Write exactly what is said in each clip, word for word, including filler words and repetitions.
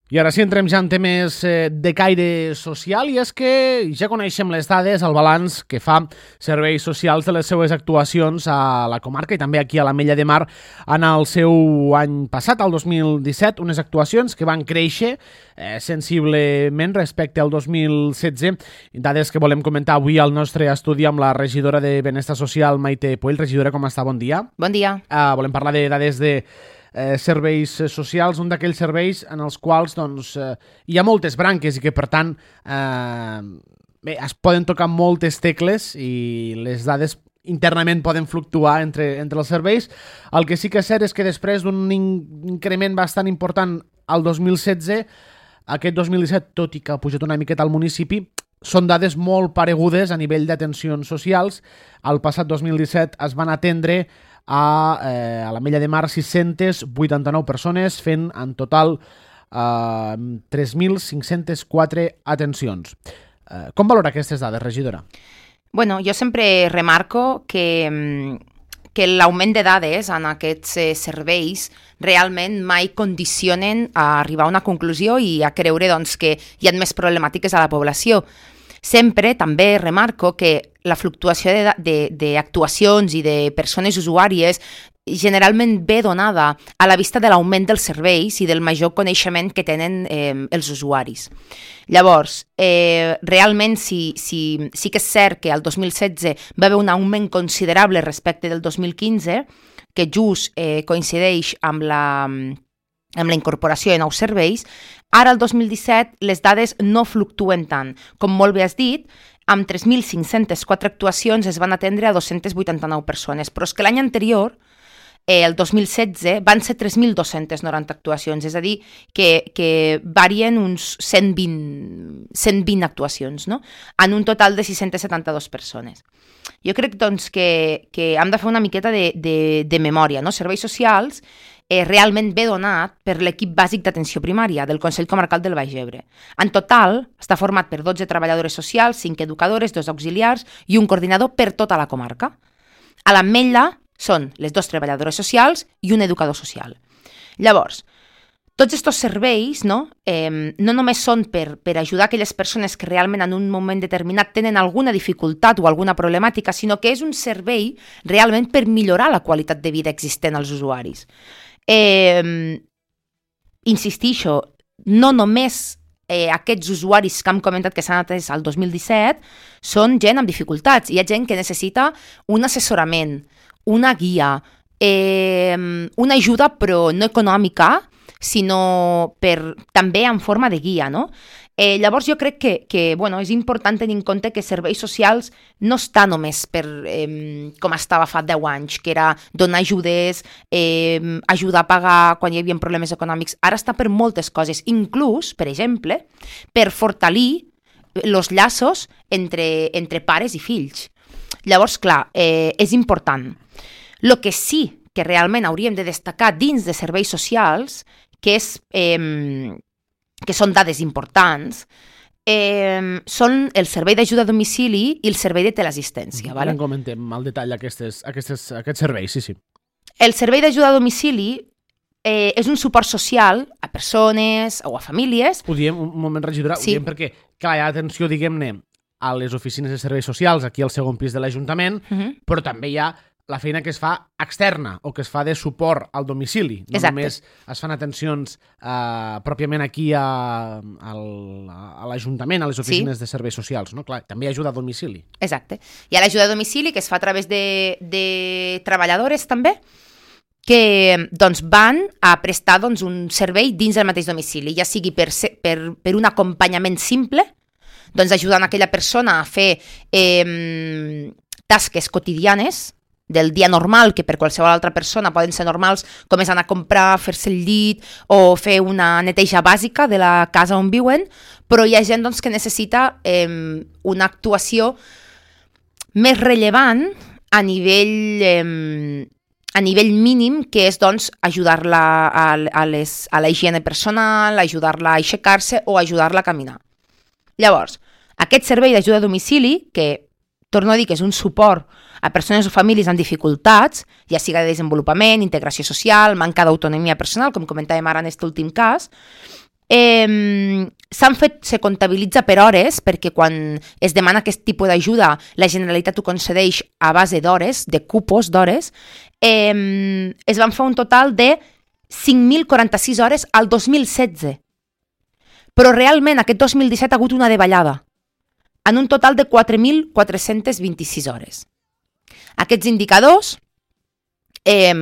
I ara sí entrem ja en temes de caire social, i és que ja coneixem les dades, el balanç que fa Serveis Socials de les seues actuacions a la comarca i també aquí a l'Ametlla de Mar en el seu any passat, el dos mil disset, unes actuacions que van créixer eh, sensiblement respecte al dos mil setze, dades que volem comentar avui al nostre estudi amb la regidora de Benestar Social, Maite Puell. Regidora, com està? Bon dia. Bon dia. Uh, volem parlar de dades de Eh, serveis socials, un d'aquells serveis en els quals doncs, eh, hi ha moltes branques i que per tant eh, bé, es poden tocar moltes tecles i les dades internament poden fluctuar entre, entre els serveis. El que sí que és cert és que després d'un in- increment bastant important al dos mil setze, aquest dos mil disset, tot i que ha pujat una miqueta al municipi, són dades molt paregudes a nivell d'atencions socials. El passat dos mil disset es van atendre a, eh, a l'Ametlla de Mar sis-centes vuitanta-nou persones, fent en total eh, tres mil cinc-cents quatre atencions. Eh, com valora aquestes dades, regidora? Bueno, jo sempre remarco que, que l'augment de dades en aquests eh, serveis realment mai condicionen a arribar a una conclusió i a creure doncs, que hi ha més problemàtiques a la població. Sempre també remarco que la fluctuació d'actuacions i de persones usuàries generalment ve donada a la vista de l'augment dels serveis i del major coneixement que tenen eh, els usuaris. Llavors, eh, realment sí, sí, sí que és cert que el dos mil setze va haver un augment considerable respecte del dos mil quinze, que just eh, coincideix amb la... amb la incorporació de nous serveis. Ara, el dos mil disset, les dades no fluctuen tant. Com molt bé has dit, amb tres mil cinc-cents quatre actuacions es van atendre a dos-centes vuitanta-nou persones, però és que l'any anterior, eh, el dos mil setze, van ser tres mil dos-centes noranta actuacions, és a dir, que, que varien uns cent vint actuacions, no? En un total de sis-centes setanta-dues persones. Jo crec doncs, que, que hem de fer una miqueta de, de, de memòria, no? Serveis socials eh, realment ve donat per l'equip bàsic d'atenció primària del Consell Comarcal del Baix Ebre. En total, està format per dotze treballadores socials, cinc educadores, dos auxiliars i un coordinador per tota la comarca. A l'Ametlla són les dues treballadores socials i un educador social. Llavors, tots aquests serveis no, eh, no només són per, per ajudar aquelles persones que realment en un moment determinat tenen alguna dificultat o alguna problemàtica, sinó que és un servei realment per millorar la qualitat de vida existent als usuaris. Eh, insistixo, no només eh, aquests usuaris que hem comentat que s'han atès al dos mil disset són gent amb dificultats. Hi ha gent que necessita un assessorament, una guia, eh, una ajuda però no econòmica, sinó per, també en forma de guia, no? Eh, llavors jo crec que, que bueno, és important tenir en compte que serveis socials no està només per eh, com estava fa deu anys, que era donar ajudes, eh, ajudar a pagar quan hi havia problemes econòmics. Ara està per moltes coses, inclús, per exemple, per fortalir els llaços entre, entre pares i fills. Llavors, clar, eh, és important. El que sí que realment hauríem de destacar dins de serveis socials, que, és, eh, que són dades importants, eh, són el servei d'ajuda a domicili i el servei de teleassistència. Vale? En comentem al detall aquestes, aquestes, aquests serveis, sí, sí. El servei d'ajuda a domicili eh, és un suport social a persones o a famílies. Ho diem, un moment, regidora, sí. Ho diem perquè, clar, hi ha atenció, diguem-ne, a les oficines de serveis socials, aquí al segon pis de l'Ajuntament, uh-huh. però també hi ha la feina que es fa externa o que es fa de suport al domicili. No Exacte. Només es fan atencions eh, pròpiament aquí a, a, a l'Ajuntament, a les oficines sí. de serveis socials. No? Clar, també hi ha ajuda a domicili. Exacte. Hi ha l'ajuda a domicili que es fa a través de, de treballadores també, que doncs, van a prestar doncs, un servei dins del mateix domicili, ja sigui per, per, per un acompanyament simple, doncs ajudant aquella persona a fer eh, tasques quotidianes del dia normal, que per qualsevol altra persona poden ser normals, com és anar a comprar, fer-se el llit o fer una neteja bàsica de la casa on viuen, però hi ha gent doncs, que necessita eh, una actuació més rellevant a nivell, eh, a nivell mínim, que és doncs, ajudar-la a, a, les, a la higiene personal, ajudar-la a aixecar-se o ajudar-la a caminar. Llavors, aquest servei d'ajuda a domicili, que torno a dir que és un suport a persones o famílies amb dificultats, ja siga de desenvolupament, integració social, manca d'autonomia personal, com comentàvem ara en aquest últim cas, Eh, s'han fet, se comptabilitza per hores, perquè quan es demana aquest tipus d'ajuda, la Generalitat ho concedeix a base d'hores, de cupos d'hores, eh, es van fer un total de cinc mil quaranta-sis hores al dos mil setze. Però realment aquest dos mil disset ha hagut una davallada, en un total de quatre mil quatre-cents vint-i-sis hores. Aquests indicadors, eh,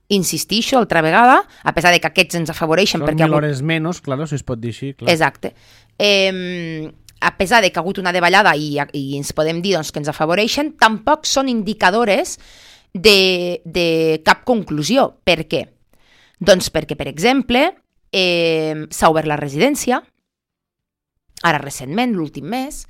insistixo altra vegada, a pesar de que aquests ens afavoreixen... Són perquè mil hagut... hores menys, claro, si es pot dir així. Clar. Exacte. Eh, a pesar de que ha hagut una davallada i, i ens podem dir doncs, que ens afavoreixen, tampoc són indicadores de, de cap conclusió. Per què? Doncs perquè, per exemple, eh, s'ha obert la residència, ara recentment, l'últim mes,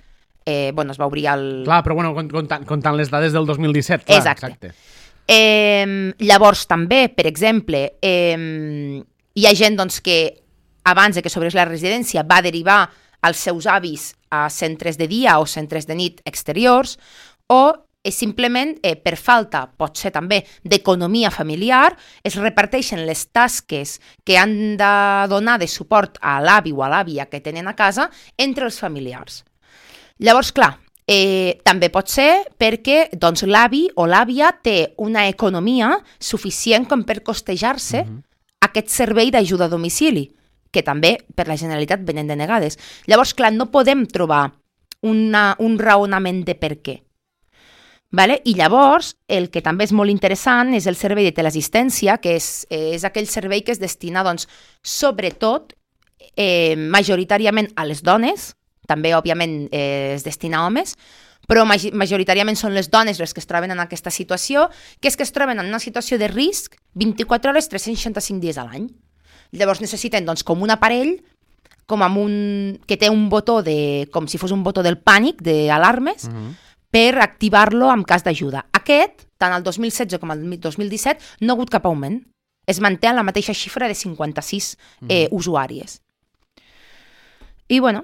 eh, bueno, es va obrir el... Clar, però bueno, comptant, comptant les dades del dos mil disset, clar, exacte. exacte. Eh, llavors també, per exemple, eh, hi ha gent doncs, que abans de que s'obrís la residència va derivar els seus avis a centres de dia o centres de nit exteriors, o és simplement eh, per falta, pot ser també, d'economia familiar, es reparteixen les tasques que han de donar de suport a l'avi o a l'àvia que tenen a casa entre els familiars. Llavors, clar, Eh, també pot ser perquè doncs, l'avi o l'àvia té una economia suficient com per costejar-se uh-huh. aquest servei d'ajuda a domicili, que també per la Generalitat venen denegades. Llavors, clar, no podem trobar una, un raonament de per què. Vale? I llavors, el que també és molt interessant és el servei de teleassistència, que és, és aquell servei que es destina, doncs, sobretot, eh, majoritàriament a les dones, també, òbviament, eh, es destina a homes, però majoritàriament són les dones les que es troben en aquesta situació, que és que es troben en una situació de risc vint-i-quatre hores, tres-cents seixanta-cinc dies a l'any. Llavors necessiten, doncs, com un aparell, com amb un... que té un botó de... com si fos un botó del pànic, d'alarmes, uh-huh. per activar-lo en cas d'ajuda. Aquest, tant el dos mil setze com el dos mil disset, no ha hagut cap augment. Es manté en la mateixa xifra de cinquanta-sis eh, uh-huh. usuàries. I, bueno...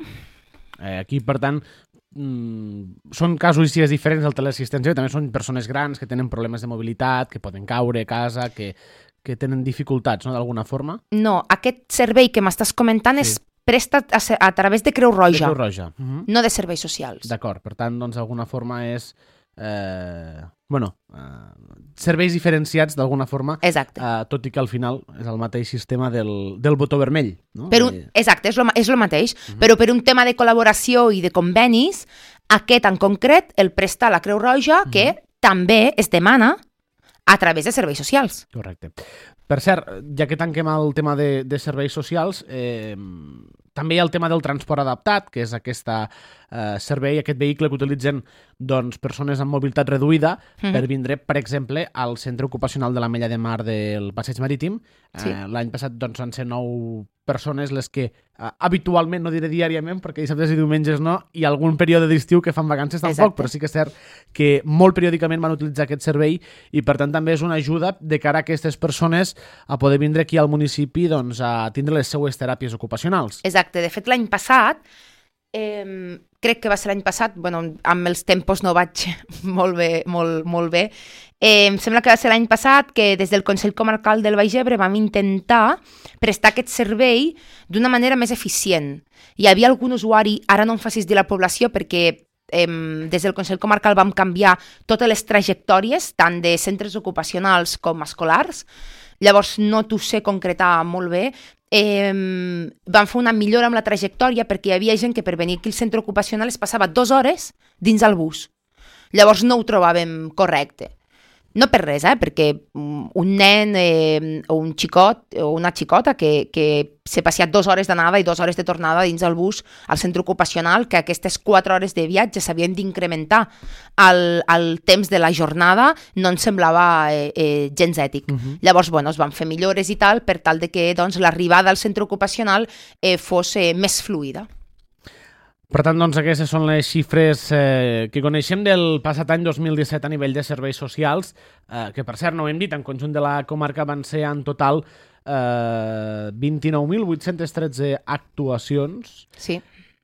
Eh, aquí, per tant, mm, són casuístiques diferents del teleassistència, que també són persones grans que tenen problemes de mobilitat, que poden caure a casa, que, que tenen dificultats, no?, d'alguna forma. No, aquest servei que m'estàs comentant sí. és prestat a, a través de Creu Roja, de Creu Roja. Uh-huh. no de serveis socials. D'acord, per tant, doncs, d'alguna forma és... Eh, bueno, eh, serveis diferenciats d'alguna forma, exacte. Eh, tot i que al final és el mateix sistema del, del botó vermell. No? Per un, exacte, és lo, és lo mateix, uh-huh. però per un tema de col·laboració i de convenis, aquest en concret el presta la Creu Roja, uh-huh. que també es demana a través de serveis socials. Correcte. Per cert, ja que tanquem el tema de, de serveis socials, eh, també hi ha el tema del transport adaptat, que és aquest eh, servei, aquest vehicle que utilitzen doncs, persones amb mobilitat reduïda mm. per vindre, per exemple, al centre ocupacional de la Mella de Mar del Passeig Marítim. Sí. Eh, l'any passat doncs, van ser nou persones les que eh, habitualment, no diré diàriament, perquè dissabtes i diumenges no, i algun període d'estiu que fan vacances tampoc, Exacte. Però sí que és cert que molt periòdicament van utilitzar aquest servei i per tant també és una ajuda de cara a aquestes persones a poder vindre aquí al municipi doncs, a tindre les seues teràpies ocupacionals. Exacte, de fet l'any passat, eh, crec que va ser l'any passat, bueno, amb els tempos no vaig molt bé, molt, molt bé, eh, em sembla que va ser l'any passat que des del Consell Comarcal del Baix Ebre vam intentar prestar aquest servei d'una manera més eficient. Hi havia algun usuari, ara no em facis dir la població perquè eh, des del Consell Comarcal vam canviar totes les trajectòries, tant de centres ocupacionals com escolars, llavors no t'ho sé concretar molt bé. Eh, van fer una millora amb la trajectòria perquè hi havia gent que per venir aquí al centre ocupacional es passava dues hores dins el bus. Llavors no ho trobàvem correcte. No per res, eh? Perquè un nen eh, o un xicot o una xicota que, que s'ha passat dues hores d'anada i dues hores de tornada dins el bus al centre ocupacional, que aquestes quatre hores de viatge s'havien d'incrementar al, al temps de la jornada, no ens semblava eh, eh, gens ètic. Uh-huh. Llavors, bueno, es van fer millores i tal per tal de que doncs, l'arribada al centre ocupacional eh, fos eh, més fluida. Per tant, doncs, aquestes són les xifres eh, que coneixem del passat any dos mil disset a nivell de serveis socials, eh, que per cert, no ho hem dit, en conjunt de la comarca van ser en total eh, vint-i-nou mil vuit-cents tretze actuacions. Sí.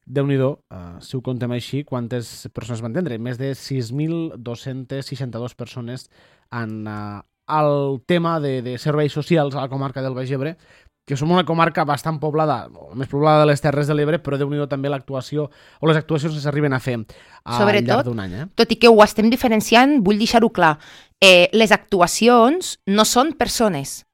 Déu-n'hi-do, eh, si ho contem així, quantes persones van atendre? Més de sis mil dos-cents seixanta-dos persones en eh, el tema de, de serveis socials a la comarca del Baix Ebre, que som una comarca bastant poblada, la més poblada de les Terres de l'Ebre, però déu-n'hi-do també l'actuació o les actuacions que s'arriben a fer al Sobretot, llarg d'un any. Eh? Tot i que ho estem diferenciant, vull deixar-ho clar, eh, les actuacions no són persones.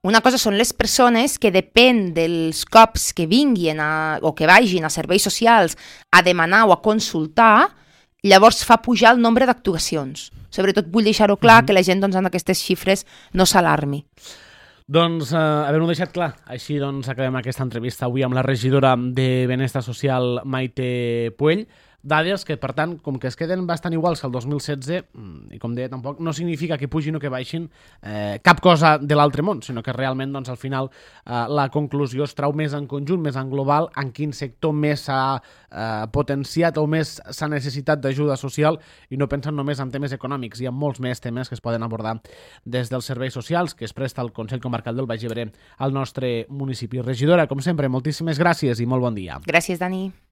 Una cosa són les persones que depèn dels cops que vinguin a, o que vagin a serveis socials a demanar o a consultar, llavors fa pujar el nombre d'actuacions. Sobretot vull deixar-ho clar, mm-hmm. que la gent doncs, en aquestes xifres no s'alarmi. Doncs, eh, havent-ho deixat clar, així doncs acabem aquesta entrevista avui amb la regidora de Benestar Social, Maite Puell. Dades que, per tant, com que es queden bastant iguals que el dos mil setze, i com deia, tampoc no significa que pugin o que baixin eh, cap cosa de l'altre món, sinó que realment, doncs, al final, eh, la conclusió es trau més en conjunt, més en global, en quin sector més s'ha eh, potenciat o més s'ha necessitat d'ajuda social, i no pensen només en temes econòmics. Hi ha molts més temes que es poden abordar des dels serveis socials que es presta el Consell Comarcal del Baix Ebre al nostre municipi. Regidora, com sempre, moltíssimes gràcies i molt bon dia. Gràcies, Dani.